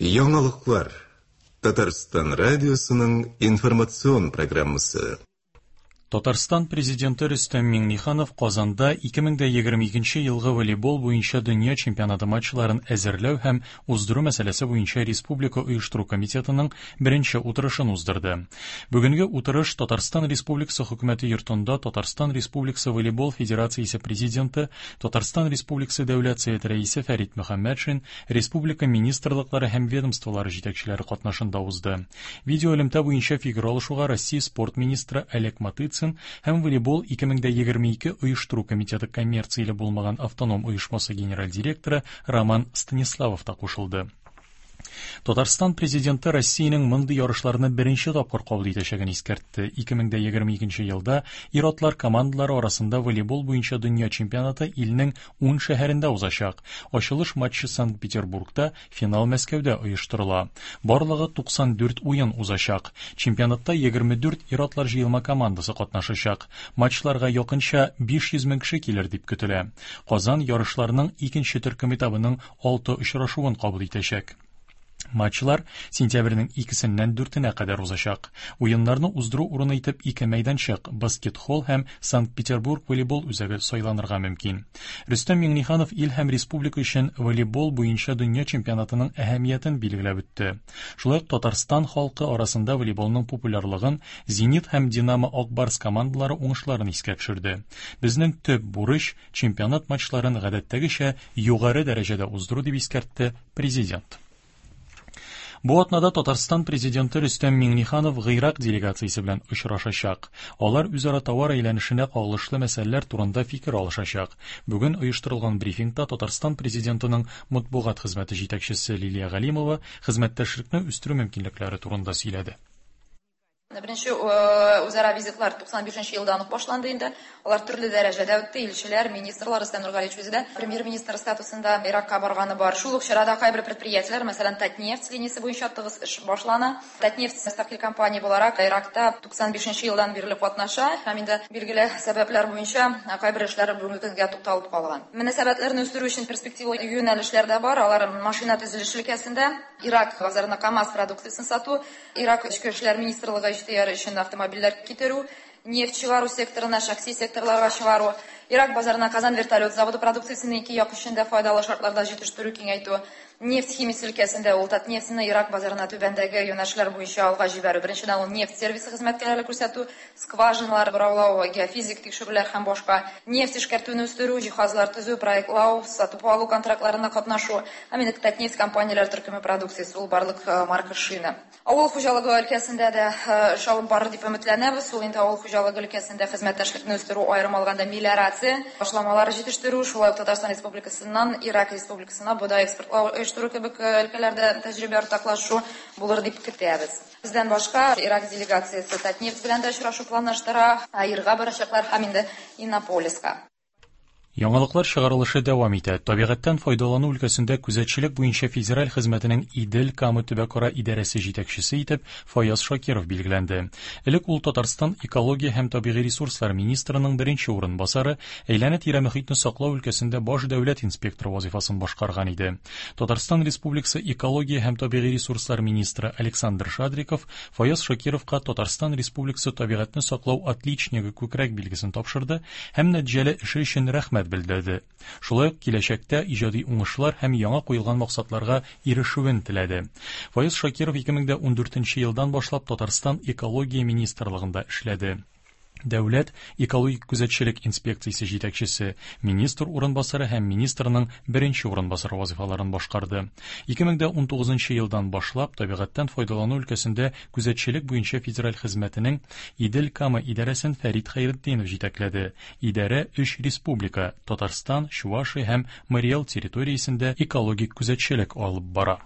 Яңалыклар. Татарстан радиосының информацион программасы. Татарстан Президенты Рөстәм Миңнеханов Казанда 2022 елгы волейбол буенча дөнья чемпионаты матчларын әзерләү һәм уздыру мәсьәләсе буенча Республика оештыру комитетының беренче утырышын уздырды. Бүгенге утырыш Татарстан Республикасы Хөкүмәте йортында Татарстан Республикасы Волейбол Федерациясе президенты, Татарстан Республикасы Дәүләт Советы Рәисе Фәрит Мөхәммәтшин, республика министрлыклары һәм ведомстволары җитәкчеләре катнашында узды. Видеоэлемтә буенча фикер алышуга Россия спорт министры Олег Матыцин һәм Волейбол 2022 оештыру комитеты коммерцияле булмаган автоном оешмасы генераль директоры Роман Станиславов та кушылды. Татарстан президенты Россиянең мондый ярышларны беренче тапкыр кабул итәчәген искәртте. 2022 елда ир-атлар командалары арасында волейбол буенча дөнья чемпионаты илнең 10 шәһәрендә узачак. Ачылыш матчы Санкт-Петербургта, Финал Мәскәүдә оештырыла. Барлыгы 94 уен узачак. Чемпионатта 24 ир-атлар җыелма командасы катнашачак. Матчларга якынча 500 мең кеше килер дип көтелә. Казан ярышларның икенче төркем этабының алты очрашуын кабул итәчәк. Матчлар сентябрьнең икесеннән дүртенә кадәр узачак. Уеннарны уздыру урыны итеп ике мәйданчык, Баскет-холл һәм Санкт-Петербург волейбол үзәге сайланырга мөмкин. Рөстәм Миңнеханов ил һәм республика өчен волейбол буенча дөнья чемпионатының әһәмиятен билгеләп үтте. Шулай ук Татарстан халкы арасында волейболның популярлыгын, Зенит һәм Динамо Ак Барс командалары уңышларын искә төшерде. Безнең төп бурыч, чемпионат матчларын гадәттәгечә югары дәрәҗәдә уздыру, дип искәртте Президент. Бу атнада Татарстан президенты Рөстәм Миңнеханов Гыйрак делегациясе белән очрашачак. Алар үзара товар әйләнешенә кагылышлы мәсьәләләр турында фикер алышачак. Бүген оештырылган брифингта Татарстан президентының матбугат хезмәте җитәкчесе Лилия Галимова хезмәттәшлекне үстерү мөмкинлекләре турында сөйләде. Беренче үзара визитлар 95 елдан ук башланды инде. Алар төрле дәрәҗәдә үтте. Илчеләр, министрлар, Рөстәм Нургалиевич үзе дә премьер-министр статусында Иракка барганы бар. Шул ук чарада кайбер предприятиеләр, мәсәлән, Татнефть линиясе буенча тыгыз эш башлана. Татнефть мөстәкыйль компания буларак Иракта 95 елдан бирле катнаша һәм инде билгеле сәбәпләр буенча кайбер эшләр бүгенге көнгә тукталып калган. Мөнәсәбәтләрне үстерү өчен перспективалы юнәлешләр дә бар. Алар машина төзелеше өлкәсендә, Ирак базарына КАМАЗ продукциясен сату, Ирак Эчке эшләр министрлыгы ихтыяры өчен автомобильләр китерү, нефть чыгару секторына, шәхси секторларга чыгару, Ирак базарына Казан вертолет заводы продукциясен ике як өчен дә файдалы шартларда җитештерү киңәйтү, нефть химиясе өлкәсендә ул Татнефтьне Ирак базарына түбәндәге юнәлешләр буенча алга җибәрү. Беренчедән, ул нефть сервисы хезмәткәрләре күрсәтү, скважиналар бораулау, геофизик тикшерүләр һәм башка, нефть эшкәртүне үстерү, җиһазлар төзү, проектлау, сатып алу контрактларына катнашу һәм инде Татнефть компанияләр төркеме продукциясе, ул барлык марка шина. Авыл хуҗалыгы өлкәсендә дә эш алып барыр дип өметләнәбез. Ул инде авыл хуҗалыгы өлкәсендә хезмәттәшлекне үстерү, аерым алганда мелиорация ташламалары җитештерү, шулай ук Татарстан Республикасыннан Ирак Республикасына бодай экспортлау оештыру кебек өлкәләрдә тәҗрибә уртаклашу булыр дип көтәбез. Бездән башка Ирак делегациясе Татнефть белән дә очрашу планлаштыра, АИРга барачаклар һәм инде Иннополиска. Яңалыклар чыгарылышы дәвам итә. Табигатьтән файдалану өлкәсендә күзәтчелек буенча федераль хезмәтенең Идел-Кама төбәкара идарәсе җитәкчесе итеп Фаяз Шакиров билгеләнде. Элек ул Татарстан экология һәм табигый ресурслар министрының беренче урынбасары, әйләнә-тирә мөхитне саклау өлкәсендә баш дәүләт инспекторы вазифасын башкарган иде. Татарстан Республикасы экология һәм табигый ресурслар министры Александр Шадриков Фаяз Шакировка Татарстан Республикасы табигатьне саклау отличнигы күкрәк билгесен тапшырды һәм нәтиҗәле эше өчен рәхмәт белдерде. Шулай ук киләчәктә иҗади уңышлар һәм яңа куелган максатларга ирешүен теләде. Фаяз Шакиров 2014 елдан башлап Татарстан Экология министрлыгында эшләде. Дәүләт экологик күзәтчелек инспекциясе җитәкчесе, министр урынбасары һәм министрның беренче урынбасары вазыйфаларын башкарды. 2019 елдан башлап табигатьтән файдалану өлкәсендә күзәтчелек буенча федераль хезмәтенең Идел-Кама идарәсен Фәрит Хәйретдинов җитәкләде. Идарә өч республика, Татарстан, Чувашия һәм Мари Эл территориясендә экологик күзәтчелек алып бара.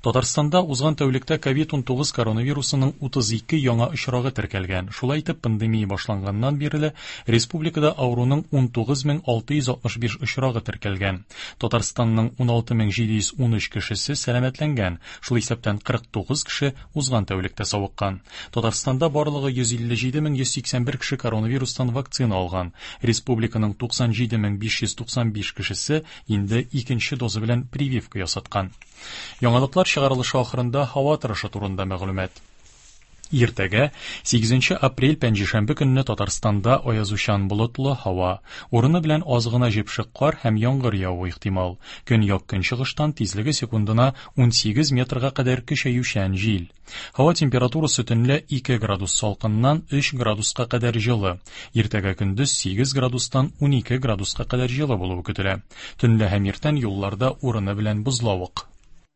Татарстанда узган тәүлектә ковид-19 коронавирусының 32 яңа очрагы теркәлгән. Шулай итеп, пандемия башланганнан бирле республикада авыруның 19665 очрагы теркәлгән. Татарстанның 16713 кешесе сәламәтләнгән, шул исәптән 49 кеше узган тәүлектә савыккан. Татарстанда барлыгы 157181 кеше коронавирустан вакцина алган. Республиканың 97595 кешесе инде икенче доза белән прививка ясаткан. Яңалыклар чыгарылышы ахырында һава торышы турында мәгълүмат. Иртәгә, 8 апрель пәнҗешәмбе көнне Татарстанда аязучан болытлы һава, урыны белән аз гына җепшек кар һәм яңгыр явуы ихтимал. Көньяк-көнчыгыштан тизлеге секундына 18 метрга кадәр көчәючән җил. Һава температурасы төнлә 2 градус салкыннан 3 градуска кадәр җылы. Иртәгә көндез 8 градустан 12 градуска кадәр җылы булуы көтелә. Төнлә һәм иртән юлларда урыны белән бозлавык.